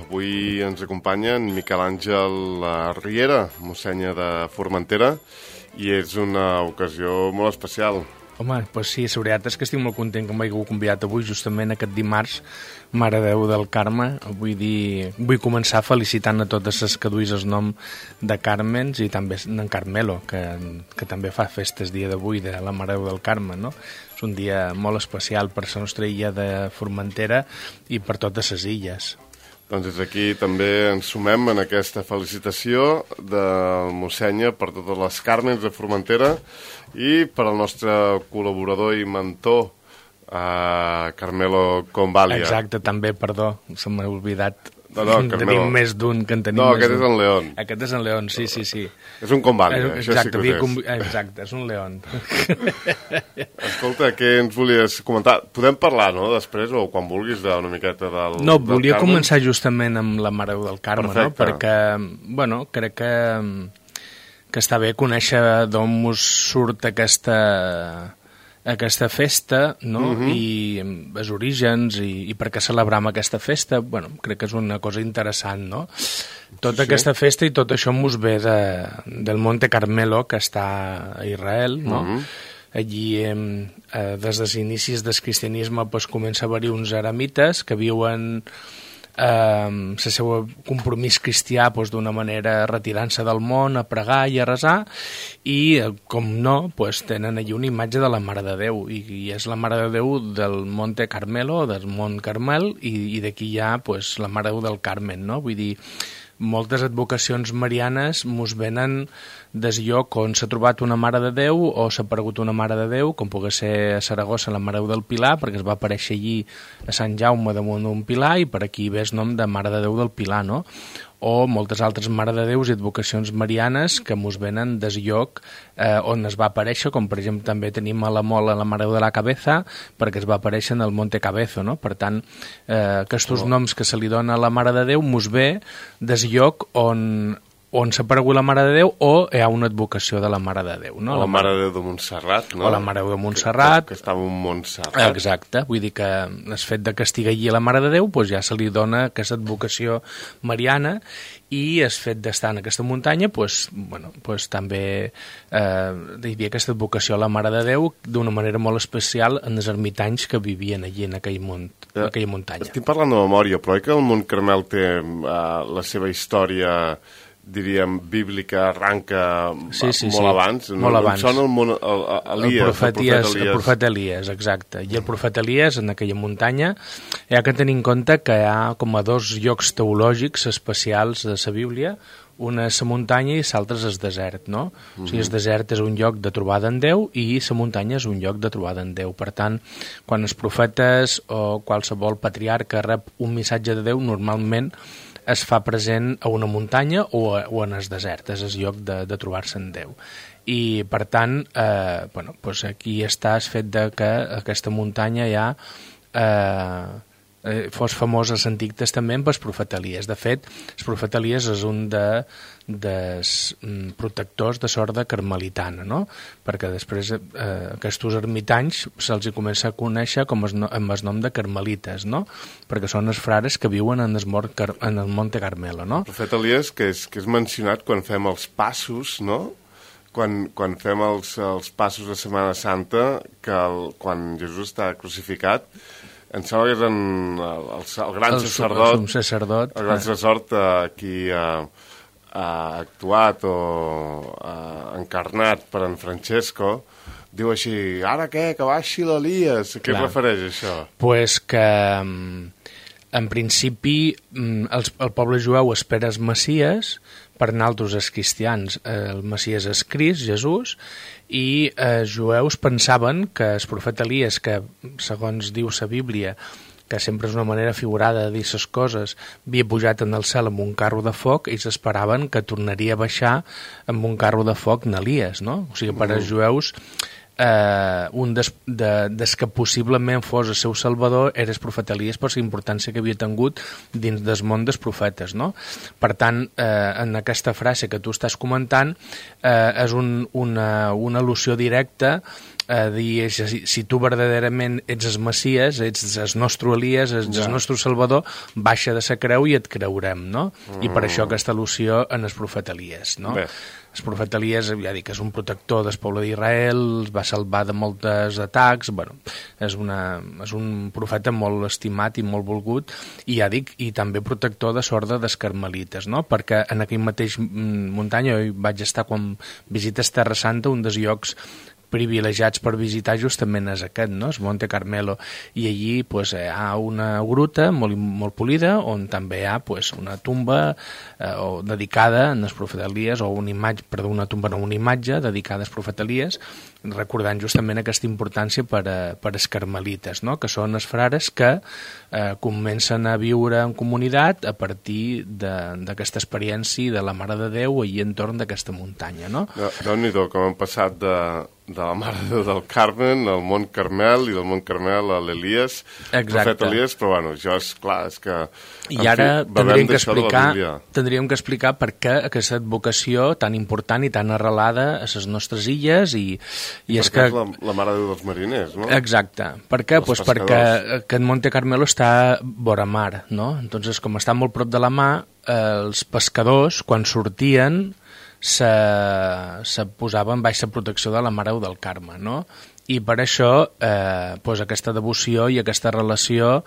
Avui ens acompanya en Miquel Àngel Riera, mossènia de Formentera, i és una ocasió molt especial. Home, doncs sí, la veritat és que estic molt content que m'haieu convidat avui, justament aquest dimarts, Mare de Déu del Carme. Vull començar felicitant a totes les que duis el nom de Carmens i també d'en Carmelo, que també fa festes dia d'avui de la Mare de Déu del Carme, no? És un dia molt especial per la nostra illa de Formentera i per totes les illes. Doncs des d'aquí també ens sumem en aquesta felicitació del mossènia per totes les Carmens de Formentera i per al nostre col·laborador i mentor, Carmelo Convalia. Exacte, també, perdó, se m'ha oblidat. Carmelo. Tenim més d'un que en tenim més d'un. No, aquest és en León. Aquest és en León, sí. És un Convalia, això sí que ho és. Exacte, és un León. Escolta, què ens volies comentar? Podem parlar, no?, després, o quan vulguis, d'una miqueta del No, volia començar justament amb la Mare Déu del Carme, no? Perquè, bueno, crec que està bé conèixer d'on us surt aquesta festa, no? I els orígens i per què celebrem aquesta festa, bueno, crec que és una cosa interessant, no? Tota aquesta festa i tot això mos ve del Monte Carmelo, que està a Israel, no? Allí, des dels inicis del cristianisme, comença a haver-hi uns eremites que viuen el seu compromís cristià d'una manera retirant-se del món a pregar i a resar i, com no, tenen allí una imatge de la Mare de Déu i és la Mare de Déu del Monte Carmelo, del Mont Carmel, i d'aquí hi ha la Mare de Déu del Carmen, no? Vull dir, moltes advocacions marianes mos venen des lloc on s'ha trobat una Mare de Déu o s'ha aparegut una Mare de Déu, com pugui ser a Saragossa la Mare de Déu del Pilar, perquè es va aparèixer allí a Sant Jaume damunt d'un pilar i per aquí ve el nom de Mare de Déu del Pilar, no? O moltes altres Mare de Déus i advocacions marianes que mos venen des lloc on es va aparèixer, com per exemple també tenim a la Mola la Mare de la Cabeza, perquè es va aparèixer en el Monte Cabezo, no? Per tant, aquests noms que se li dona a la Mare de Déu mos ve des lloc on s'ha aparegut la Mare de Déu o hi ha una advocació de la Mare de Déu, no? O la Mare de Déu de Montserrat, no? O la Mare de Déu de Montserrat. Que estava en Montserrat. Exacte, vull dir que el fet de que estigui allí la Mare de Déu ja se li dona aquesta advocació mariana i el fet d'estar en aquesta muntanya també hi havia aquesta advocació a la Mare de Déu d'una manera molt especial en els ermitanys que vivien allí en aquella muntanya. Estic parlant de memòria, però que el Mont Carmel té la seva història, diríem, bíblica, arranca molt abans. Molt abans. Sona el profet Elies, exacte. I el profet Elies, en aquella muntanya, hi ha que tenir en compte que hi ha com a dos llocs teològics especials de la Bíblia, una és la muntanya i l'altre és el desert, no? O sigui, el desert és un lloc de trobada en Déu i la muntanya és un lloc de trobada en Déu. Per tant, quan els profetes o qualsevol patriarca rep un missatge de Déu, normalment es fa present a una muntanya o en el desert, és el lloc de trobar-se en Déu. I, per tant, aquí està el fet de que aquesta muntanya ja fos famós a l'Antic Testament pel profet Elies. De fet, el profet Elies és un dels protectors de l'orde carmelitana, no? Perquè després aquests ermitanys se'ls comença a conèixer amb el nom de carmelites, no? Perquè són els frares que viuen en el Monte Carmelo, no? El profet Elies, que és mencionat quan fem els passos, no? Quan fem els passos de Setmana Santa, que quan Jesús està crucificat, em sembla que és el gran sacerdot, el gran sacerdot qui ha actuat o encarnat per en Francesco, diu així, ara què, que baixi l'Elies. A què es refereix això? Pues que, en principi, el poble jueu espera els Messies, per nosaltres els cristians el Messies és Crist, Jesús, i els jueus pensaven que el profet Elies, que segons diu la Bíblia, que sempre és una manera figurada de dir les coses, havia pujat en el cel amb un carro de foc i s'esperaven que tornaria a baixar amb un carro de foc en Elies, no? O sigui, per als jueus un des que possiblement fos el seu salvador era el profeta Elies per la importància que havia tingut dins del món dels profetes, no? Per tant, en aquesta frase que tu estàs comentant és una al·lusió directa dir, si tu verdaderament ets el Messies, ets el nostre Elies, ets el nostre Salvador, baixa de sa creu i et creurem, no? I per això aquesta al·lusió en el profeta Elies, no? Bé. El profeta Elies, ja dic, és un protector del poble d'Israel, els va salvar de molts atacs, bueno, és un profeta molt estimat i molt volgut, i ja dic, i també protector de l'orde dels carmelites, no? Perquè en aquell mateix muntanya, jo vaig estar quan visites Terra Santa, un dels llocs privilegiats per visitar justament és aquest, no? El Monte Carmelo, i allí pues, hi ha una gruta molt polida on també hi ha pues, una tumba dedicada als profeta Elies, o una imatge dedicada als profeta Elies, recordant justament aquesta importància per als carmelites, no? Que són els frares que comencen a viure en comunitat a partir d'aquesta experiència de la Mare de Déu allà entorn d'aquesta muntanya, no? Déu-n'hi-do, com han passat de la Mare de Déu del Carmen al Mont Carmel i del Mont Carmel a l'Elies, profeta Elies, però bueno, això és clar, és que... I ara tindríem que explicar per què aquesta advocació tan important i tan arrelada a les nostres illes i és que... la Mare de Déu dels mariners, no? Exacte. Per què? Pues perquè aquest Monte Carmelo està vora mar, no? Entonces, com està molt prop de la mar, els pescadors, quan sortien, se posaven baix la protecció de la Mare del Carme, no? I per això pues, aquesta devoció i aquesta relació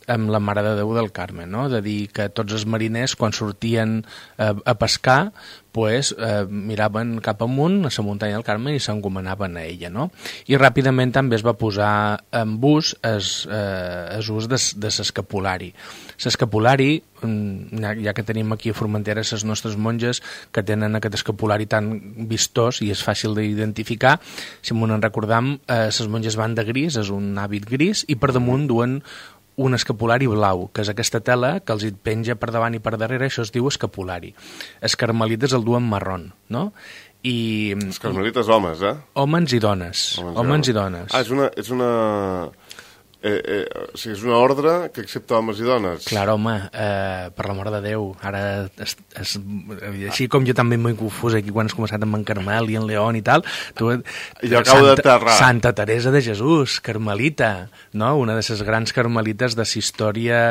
amb la Mare de Déu del Carme, no? De dir que tots els mariners, quan sortien a pescar, pues, miraven cap amunt a la muntanya del Carme i s'encomanaven a ella, no? I ràpidament també es va posar en ús ús de l'escapulari. L'escapulari, ja que tenim aquí a Formentera les nostres monges que tenen aquest escapulari tan vistós i és fàcil d'identificar, si m'ho recordam, les monges van de gris, és un hàbit gris, i per damunt duen un escapulari blau, que és aquesta tela que els penja per davant i per darrere, això es diu escapulari. Els carmelites el duen marrón, no? Els carmelites homes, eh? Homes i dones. Homes i dones. Ah, és una... o sigui, és una ordre que accepta homes i dones. Clar, home, per l'amor de Déu, ara així com jo també m'he confús aquí quan has començat amb en Carmel i en León i tal, tu, jo acabo d'aterrar. Santa Teresa de Jesús, carmelita, no? Una de les grans carmelites de la història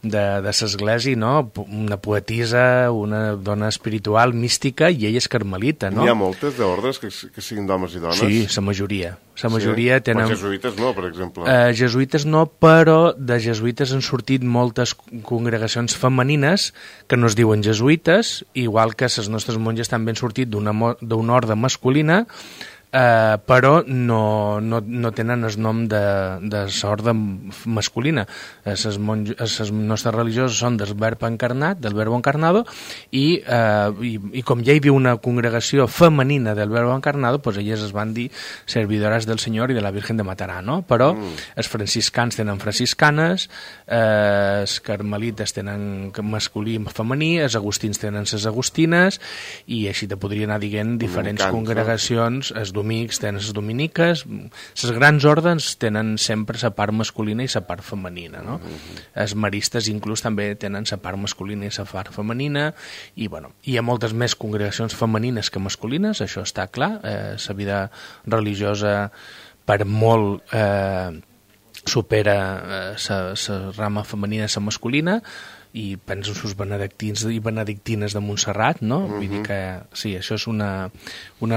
de l'església, no? Una poetisa, una dona espiritual, mística, i ella és carmelita, no? N'hi ha moltes d'ordres que siguin d'homes i dones? Sí, la majoria. La majoria tenen... Però jesuïtes no, per exemple. Jesuïtes no, però de jesuïtes han sortit moltes congregacions femenines que no es diuen jesuïtes, igual que les nostres monges també han sortit d'una orde masculina, però no tenen el nom de l'orde masculina. Les nostres religioses són del verb encarnat, del verbo encarnado, i com ja hi havia una congregació femenina del verbo encarnado, pues elles es van dir servidoras del Senyor i de la Virgen de Matarà, no? Però els franciscans tenen franciscanes, els carmelites tenen masculí i femení, els agustins tenen les agustines, i així te podria anar dient diferents congregacions. Els dominics tenen les dominiques, les grans ordres tenen sempre la part masculina i la part femenina, no? Els maristes inclús també tenen la part masculina i la part femenina, i bueno, hi ha moltes més congregacions femenines que masculines, això està clar. La vida religiosa per molt supera la rama femenina i la masculina, i penso en els benedictins i benedictines de Montserrat, no? Vull dir que sí, això és una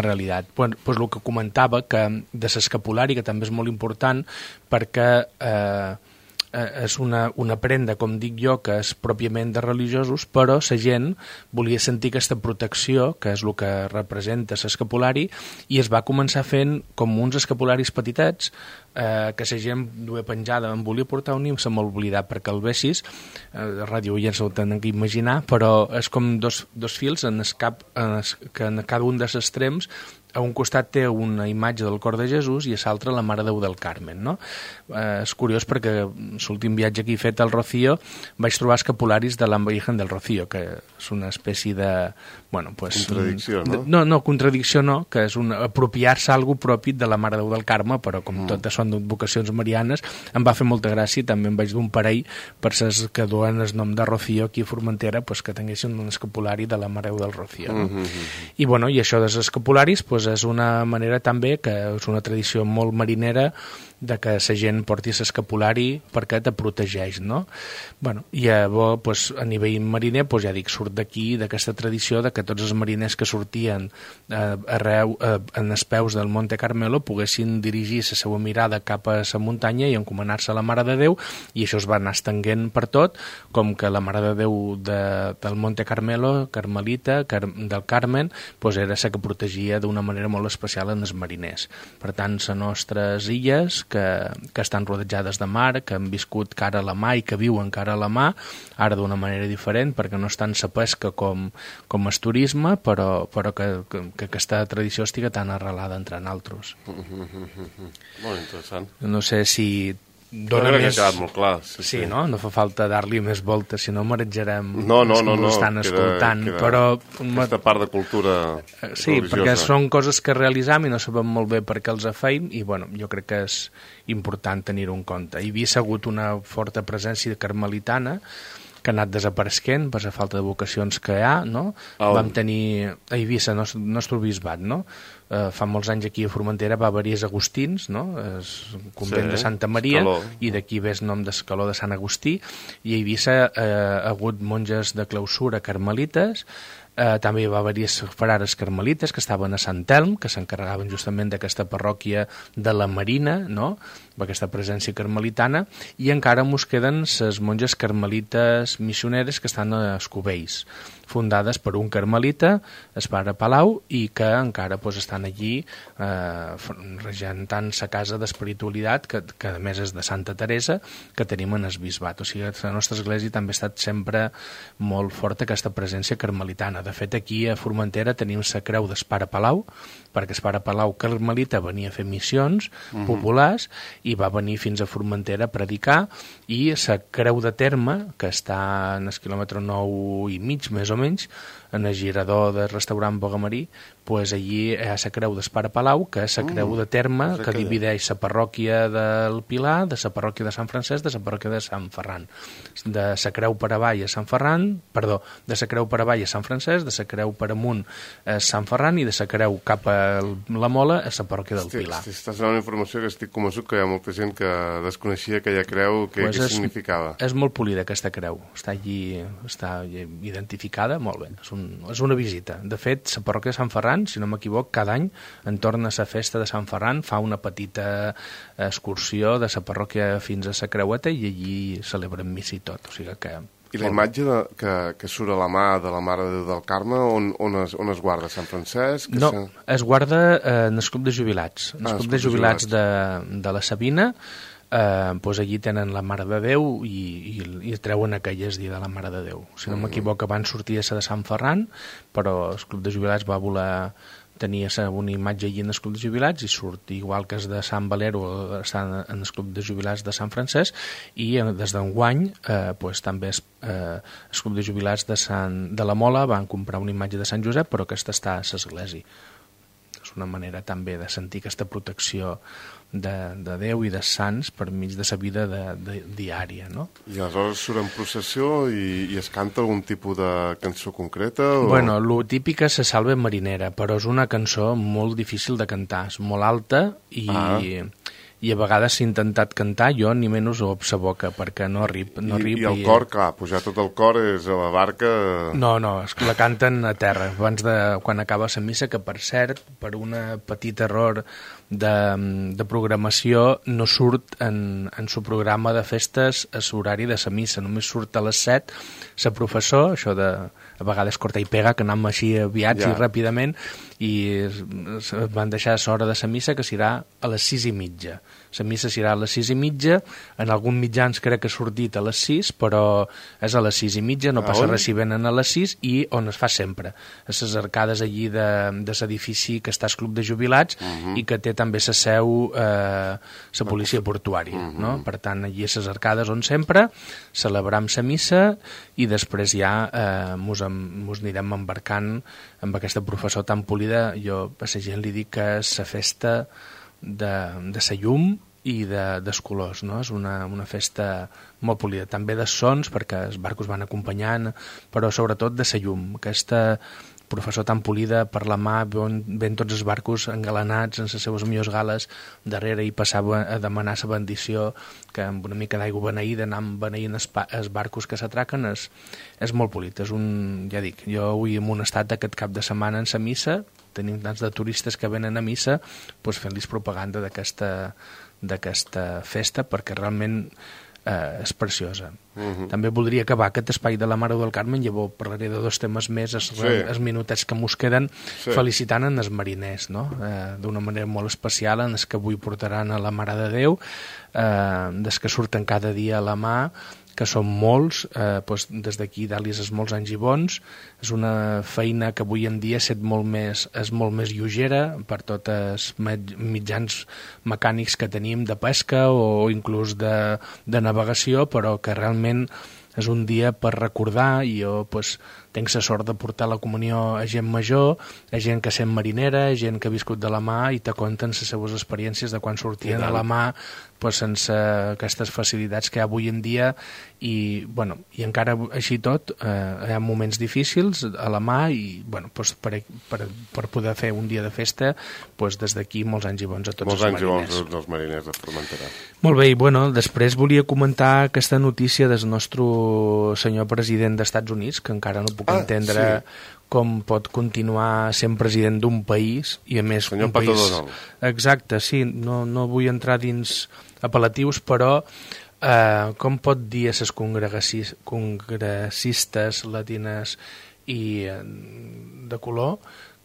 realitat. Pues el que comentava, que de l'escapulari, que també és molt important, perquè és una prenda, com dic jo, que és pròpiament de religiosos, però la gent volia sentir aquesta protecció, que és el que representa l'escapulari, i es va començar fent com uns escapularis petitets, que la gent duia penjada. Em volia portar un i se m'ha oblidat perquè el vessis, a ràdio ja ens ho tenen que imaginar, però és com dos fils en el cap, que en cada un dels extrems a un costat té una imatge del cor de Jesús i a l'altre la Mare de Déu del Carmen, no? És curiós perquè l'últim viatge que he fet al Rocío vaig trobar escapularis de la Virgen del Rocío, que és una espècie de... Bueno, pues, contradicció, no? No, contradicció no, que és apropiar-se algo propi de la Mare de Déu del Carme, però com tot són d'advocacions marianes, em va fer molta gràcia i també em vaig d'un parell per ses que duen el nom de Rocío aquí a Formentera, pues, que tinguessin un escapulari de la Mare del Rocío. No? I, bueno, i això dels escapularis pues, és una manera també, que és una tradició molt marinera, de que la gent porti l'escapulari perquè te protegeix, no? Bueno, i llavors, pues, a nivell mariner, pues, ja dic, surt d'aquí, d'aquesta tradició de que tots els mariners que sortien arreu, en els peus del Monte Carmelo poguessin dirigir la seva mirada cap a la muntanya i encomanar-se a la Mare de Déu, i això es va anar estenguent per tot, com que la Mare de Déu del Monte Carmelo, Carmelita, del Carmen, pues, era la que protegia d'una manera molt especial en els mariners. Per tant, les nostres illes, que estan rodejades de mar, que han viscut cara a la mà i que viuen cara a la mà, ara d'una manera diferent, perquè no és tant la pesca com el turisme, però que aquesta tradició estiga tan arrelada entre nosaltres. Molt interessant. No sé si dona més... que ha quedat molt clar. Sí, no? No fa falta dar-li més voltes, si no marejarem no, estan escoltant. Però aquesta part de cultura sí, religiosa. Perquè són coses que realitzam i no sabem molt bé per què els feim, i bueno, jo crec que és important tenir-ho en compte. Hi havia hagut una forta presència carmelitana que ha anat desapareixent per la falta de vocacions que hi ha, no? Vam tenir a Eivissa, nostre bisbat, no? Fa molts anys aquí a Formentera va haver-hi els agustins, no? El convent de Santa Maria, i d'aquí ve el nom d'Escaló de Sant Agustí, i a Eivissa ha hagut monges de clausura carmelites, també va haver-hi frares carmelites que estaven a Sant Elm, que s'encarregaven justament d'aquesta parròquia de la Marina, no? Aquesta presència carmelitana, i encara mos queden les monges carmelites missioneres que estan a Escubells, fundades per un carmelita, el pare Palau, i que encara pues, estan allí regentant la casa d'espiritualitat, que a més és de Santa Teresa, que tenim en el bisbat. O sigui, la nostra església també ha estat sempre molt forta aquesta presència carmelitana. De fet, aquí a Formentera tenim la creu del pare Palau, perquè el pare Palau carmelita venia a fer missions populars i va venir fins a Formentera a predicar, i la creu de terme, que està en el quilòmetre 9 i mig, més o menys, en el girador del restaurant Bogamarí, pues allí hi ha la creu del pare Palau, que és la creu de terme que divideix la parròquia del Pilar de la parròquia de Sant Francesc de la parròquia de Sant Ferran. De la creu per avall a Sant Ferran, perdó, de la creu per avall a Sant Francesc, de la creu per amunt a Sant Ferran, i de la creu cap a la Mola a la parròquia del Pilar. Estàs donant una informació que estic convençut que hi ha molta gent que desconeixia aquella creu, què significava. És molt polida aquesta creu, està allí, està identificada, molt bé, és una visita. De fet, la parròquia de Sant Ferran, si no m'equivoc, cada any, entorn a la festa de Sant Ferran, fa una petita excursió de la parròquia fins a la creueta, i allí celebren missa i tot. O sigui que... I la imatge que surt a la mà de la Mare de Déu del Carme, on es guarda? Sant Francesc? No, es guarda en el club de jubilats. En el club de jubilats de la Sabina, doncs allí tenen la Mare de Déu i treuen aquelles dia de la Mare de Déu. Si no m'equivoco, abans sortia la de Sant Ferran, però el club de jubilats va voler tenir una imatge allí en el club de jubilats, i surt igual que és de Sant Valero, està en el club de jubilats de Sant Francesc, i des d'enguany doncs, també el club de jubilats de la Mola van comprar una imatge de Sant Josep, però aquesta està a l'església. És una manera també de sentir aquesta protecció de Déu i de sants per mig de la vida diària, no? I aleshores surt en processió i es canta algun tipus de cançó concreta? O... Bueno, lo típic és la salve marinera, però és una cançó molt difícil de cantar, és molt alta i a vegades s'ha intentat cantar, jo ni menys ho la boca, perquè no arrib. I el cor, clar, pujar tot el cor és a la barca... No, la canten a terra, abans de quan acaba la missa, que per cert, per un petit error de programació, no surt en su programa de festes a l'horari de la missa, només surt a les 7, la professor, això de a vegades corta i pega, que anem així aviats i ràpidament, i van deixar l'hora de la missa, que serà a les 6:30. La missa serà a les 6:30, en algun mitjans crec que ha sortit a les 6, però és a les 6:30, no passa res si venen a les 6, i on es fa sempre, a les arcades allí de l'edifici que està al club de jubilats, i que té també la seu la policia portuària, no? Per tant, allí a les arcades on sempre celebram la missa, i després ja mos anirem embarcant amb aquesta professor tan polida. Jo a la gent li dic que és la festa de la llum i dels colors, no? És una festa molt polida, també de sons, perquè els barcos van acompanyant, però sobretot de la llum, aquesta professor tan polida per la mà, ven tots els barcos engalanats en les seves millors gales darrere i passava a demanar la bendició, que amb una mica d'aigua beneïda anant beneint els barcos que s'atraquen, és molt polit. És ja dic, jo avui en un estat aquest cap de setmana en la missa, tenim tants de turistes que venen a missa, doncs fent-los propaganda d'aquesta festa, perquè realment és preciosa. També voldria acabar aquest espai de la Mare del Carmen, llavors parlaré de 2 temes més, els minutets que mos queden, felicitant en els mariners, no? D'una manera molt especial, en els que avui portaran a la Mare de Déu, des que surten cada dia a la mà, que són molts, des d'aquí dalt-los els molts anys i bons. És una feina que avui en dia és molt més lleugera per tots els mitjans mecànics que tenim de pesca o inclús de navegació, però que realment és un dia per recordar, i jo tinc la sort de portar la comunió a gent major, a gent que sent marinera, a gent que ha viscut de la mà i te conten les seves experiències de quan sortien a la mà sense aquestes facilitats que hi ha avui en dia, i encara així tot hi ha moments difícils a la mà, i per poder fer un dia de festa, des d'aquí molts anys i bons a tots els mariners. Molts anys i bons als mariners de Formentera. Molt bé, i després volia comentar aquesta notícia del nostre senyor president dels Estats Units, que encara no puc entendre com pot continuar sent president d'un país, i a més senyor un país... Patador. Exacte, sí, no vull entrar dins apel·latius, però com pot dir a les congressistes latines i de color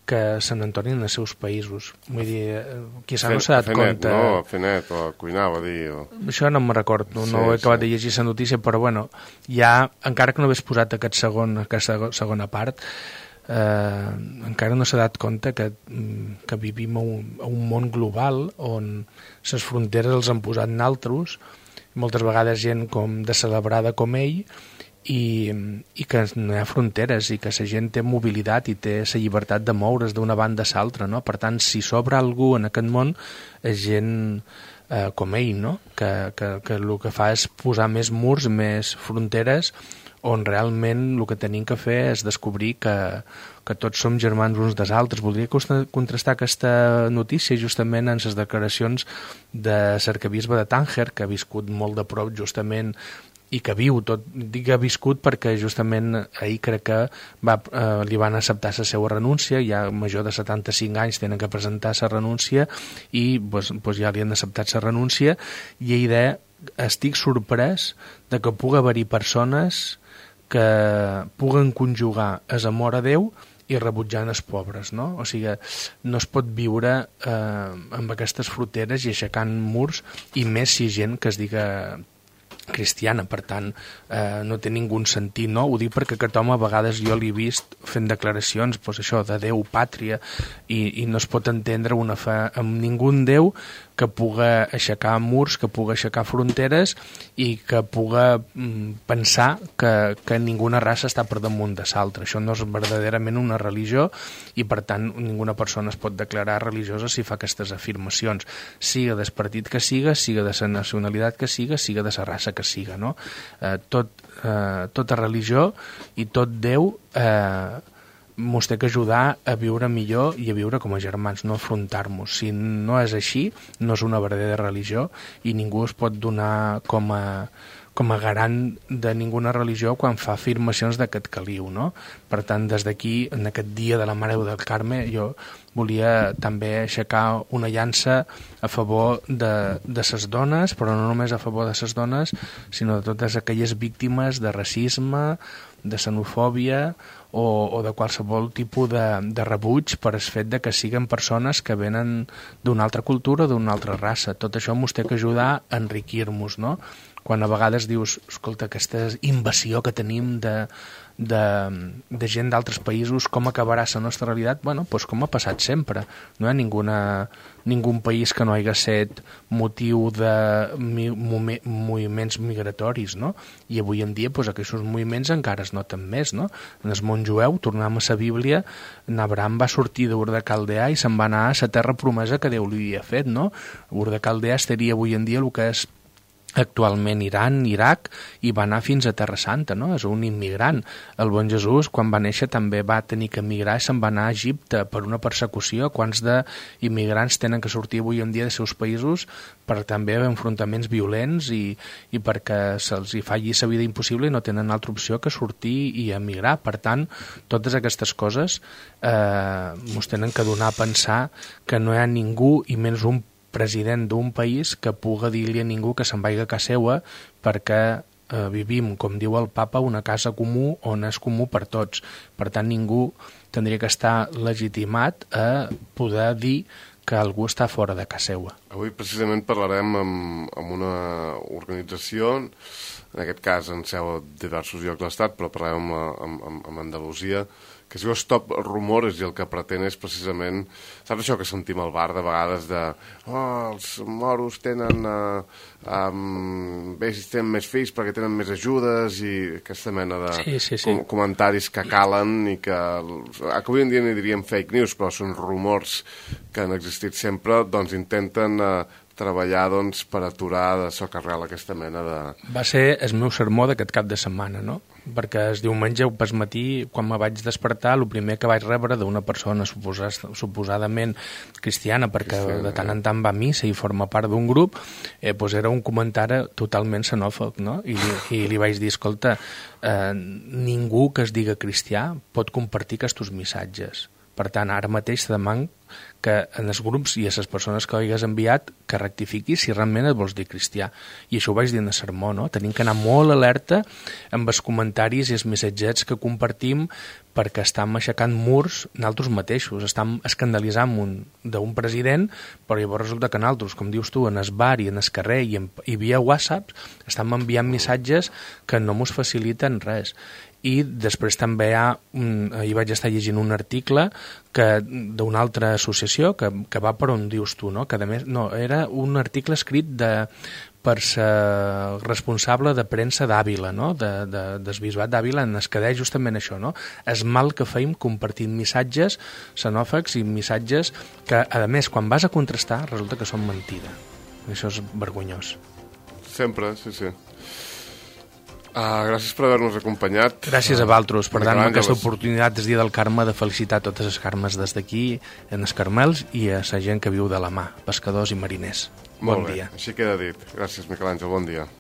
que se n'entornin als seus països? Vull dir, quizà no s'ha dat compte... No, Fenet, o cuinar, va dir... Això no me'n recordo, no he acabat de llegir la notícia, però ja, encara que no hagués posat aquesta segona part, encara no s'ha dat compte que vivim a un món global on les fronteres els han posat naltros, moltes vegades gent com descelebrada com ell, i que no hi ha fronteres, i que la gent té mobilitat i té la llibertat de moure's d'una banda a l'altra, no? Per tant, si s'obre algú en aquest món, és gent com ell, no? Que el que fa és posar més murs, més fronteres, on realment el que tenim que fer és descobrir que tots som germans uns dels altres. Voldria contrastar aquesta notícia justament en les declaracions de l'arquebisbe de Tànger, que ha viscut molt de prop justament i que viu tot, dic que ha viscut perquè justament ahir crec que li van acceptar la seva renúncia, ja major de 75 anys tenen que presentar la renúncia, i ja li han acceptat la renúncia, i ell deia, estic sorprès de que pugui haver-hi persones que puguen conjugar el amor a Déu i rebutjant els pobres, no? O sigui, no es pot viure amb aquestes fronteres i aixecant murs, i més si gent que es diga cristiana, per tant no té ningú sentit, no? Ho dic perquè aquest home a vegades jo l'he vist fent declaracions, això, de Déu, pàtria, i no es pot entendre una fe amb ningú Déu que puga aixecar murs, que puga aixecar fronteres, i que puga pensar que ninguna raça està per damunt de l'altra. Això no és verdaderament una religió, i per tant ninguna persona es pot declarar religiosa si fa aquestes afirmacions, siga del partit que siga de la nacionalitat que siga de la raça que siga, no? Tota religió i tot Déu mos té que ajudar a viure millor i a viure com a germans, no afrontar-nos. Si no és així, no és una verdadera religió, i ningú es pot donar com a garant de ninguna religió quan fa afirmacions d'aquest caliu, no? Per tant, des d'aquí, en aquest dia de la Mare del Carme, jo volia també aixecar una llança a favor de les dones, però no només a favor de les dones, sinó de totes aquelles víctimes de racisme, de xenofòbia o de qualsevol tipus de rebuig per el fet de que siguin persones que venen d'una altra cultura o d'una altra raça. Tot això mos té que ajudar a enriquir-nos, no? quan a vegades dius, escolta, aquesta invasió que tenim de gent d'altres països, com acabarà la nostra realitat? Bueno, doncs com ha passat sempre. No hi ha ningun país que no hagi estat motiu de moviments migratoris, no? I avui en dia doncs, aquests moviments encara es noten més, no? En el món jueu, tornem a la Bíblia, Abraham va sortir d'Ur de Caldea i se'n va anar a la terra promesa que Déu li havia fet, no? Ur de Caldea estaria avui en dia el que és actualment Iran, Iraq, i va anar fins a Terra Santa, no? És un immigrant. El bon Jesús, quan va néixer, també va tenir que emigrar i se'n va anar a Egipte per una persecució. Quants d'immigrants tenen que sortir avui en dia dels seus països per també enfrontaments violents i perquè se'ls hi falli la vida impossible i no tenen altra opció que sortir i emigrar. Per tant, totes aquestes coses ens tenen que donar a pensar que no hi ha ningú, i menys un president d'un país, que puga dir-li a ningú que se'n vagi a casa seva perquè vivim, com diu el papa, una casa comú on és comú per tots. Per tant, ningú tindria que estar legitimat a poder dir que algú està fora de casa seva. Avui precisament parlarem amb una organització, en aquest cas en seu a diversos llocs de l'Estat, però parlarem amb Andalusia, que es diu Stop Rumores, i el que pretén és precisament, saps això que sentim al bar de vegades de els moros tenen més fills perquè tenen més ajudes, i aquesta mena de comentaris que calen i que avui en dia n'hi diríem fake news, però són rumors que han existit sempre, doncs intenten treballar per aturar de socarrel aquesta mena de... Va ser el meu sermó d'aquest cap de setmana, no? Perquè el diumenge pel matí, quan me vaig despertar, el primer que vaig rebre d'una persona suposadament cristiana, perquè de tant en tant va a missa i forma part d'un grup, doncs era un comentari totalment xenòfob, no? I li vaig dir, escolta, ningú que es diga cristià pot compartir aquests missatges. Per tant, ara mateix te demano que en els grups i a les persones que ho hagués enviat que rectifiquis si realment et vols dir cristià. I això ho vaig dir en el sermó, no? Tenim que anar molt alerta amb els comentaris i els missatgets que compartim, perquè estem aixecant murs nosaltres mateixos, estem escandalitzant d'un president, però llavors resulta que nosaltres, com dius tu, en el bar i en el carrer i via WhatsApp, estem enviant missatges que no ens faciliten res. I després també ahir vaig estar llegint un article d'una altra associació que va per on dius tu, no? Que a més, no, era un article escrit per ser responsable de premsa d'Àvila, no? Del bisbat d'Àvila, en el que deia justament això, no? És mal que feim compartint missatges xenòfobs i missatges que, a més, quan vas a contrastar, resulta que són mentida. Això és vergonyós. Sempre, sí. Gràcies per haver-nos acompanyat. Gràcies a vosaltres per dar-me aquesta oportunitat des dia del Carme de felicitar totes les Carmes des d'aquí, en els Carmels, i a la gent que viu de la mà, pescadors i mariners. Bon dia. Així queda dit. Gràcies, Miquel Àngel, bon dia.